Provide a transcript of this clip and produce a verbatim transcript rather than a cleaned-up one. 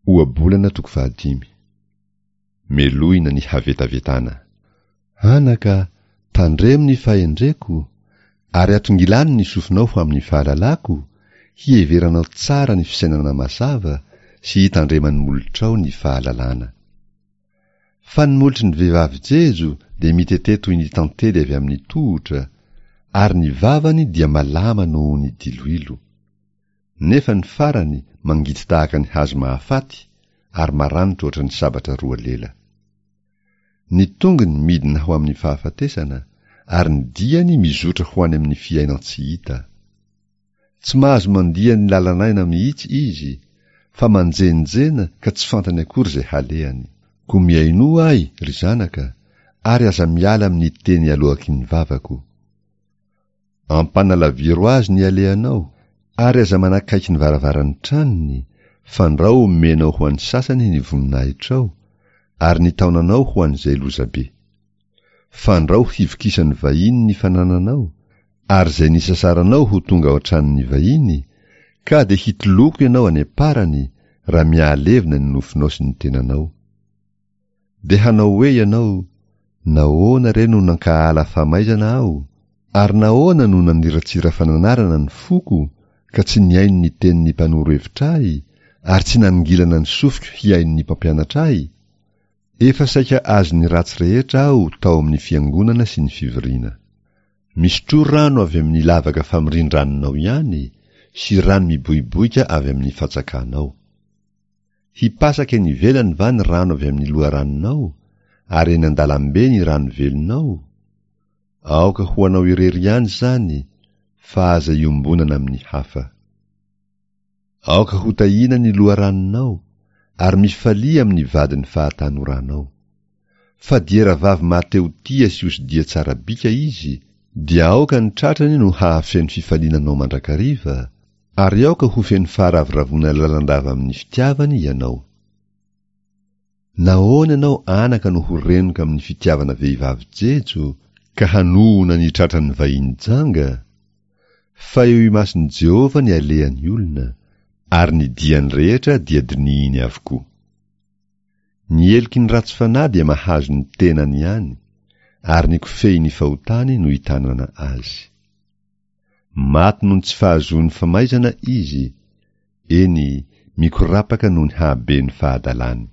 Ohabolana toko fahadimy. Melohina ny havetavetana. Anaka, tandremo ny fahendreko, ary atongilano ny sofinao ho amin'ny fahalalako, hiheveranao tsara ny fisainana mazava sy hitandreman'ny molotrao ny fahalalana. Fa ny molotry ny vehivavy jejo dia mitete toy ny tantely avy amin'ny tohotra, ary ny vavany dia malama noho ny diloilo. Nefa ny farany mangidy tahaka ny hazo mahafaty ary maranitra ohatran'ny sabatra roa lela. Ny tongony midina ho amin'ny fahafatesana ary ny diany mizotra ho any amin'ny fiainan-tsy hita. Tsy mahazo mandia ny lalan'aina mihitsy izy, fa manjenjena ka tsy fantany akory izay halehany. Koa mihainoa ahy, ry zanaka, ary aza miala amin'ny teny aloaky ny vavako. Ampanalaviro azy ny alehanao, ary aza manakaiky ny varavaran'ny tranony, fandrao omenao ho an'ny sasany ny voninahitrao, ary ny taonanao ho an'izay lozabe. Fandrao hivokisan'ny vahiny ny fanananao, ary izay nisasaranao ho tonga ao an-tranon'ny vahiny, ka dia hitoloko ianao any am-parany, raha mihalevona ny nofonao sy ny tenanao. Dia hanao hoe ianao, Nahoana re no nankahala famaizana aho? Ary nahoana no naniratsira fananarana ny foko, ka tsy nihaino ny tenin'ny mpanoro hevitra ahy, ary tsy nanongilana ny sofiko hihaino ny mpampianatra ahy? Efa saika azon'ny ratsy rehetra aho tao amin'ny fiangonana sy ny fivoriana. Misotroa rano avy amin'ny lavaka famorian-dranonao ihany, sy rano miboiboika avy amin'ny fatsakanao. Hipasaka eny ivelany va ny rano avy amin'ny loharanonao, ary eny an-dalambe ny rano velonao? Aoka ho anao irery ihany izany, fa aza iombonana amin'ny hafa. Aoka ho tahiana ny loharanonao, ary mifalia amin'ny vadin'ny fahatanoranao. Fa diera vavy mahatehotia sy osidia tsara bika izy, dia aoka ny tratrany no hahafeno fifaliana anao mandrakariva, ary aoka ho feno faharavoravoana lalandava amin'ny fitiavany ianao. Nahoana ianao anaka no ho renoka amin'ny fitiavana vehivavy jejo, ka hanohona ny tratran'ny vahiny janga? Fa eo imason'i Jehovah ny alehan'ny olona, ary ny diany rehetra dia dinihiny avokoa. Ny heloky ny ratsy fanahy dia mahazo ny tenany ihany, ary ny kofehin'ny fahotany no itanana azy. Maty noho ny tsy fahazoany famaizana izy, eny, mikorapaka noho ny hahaben'ny fahadalany.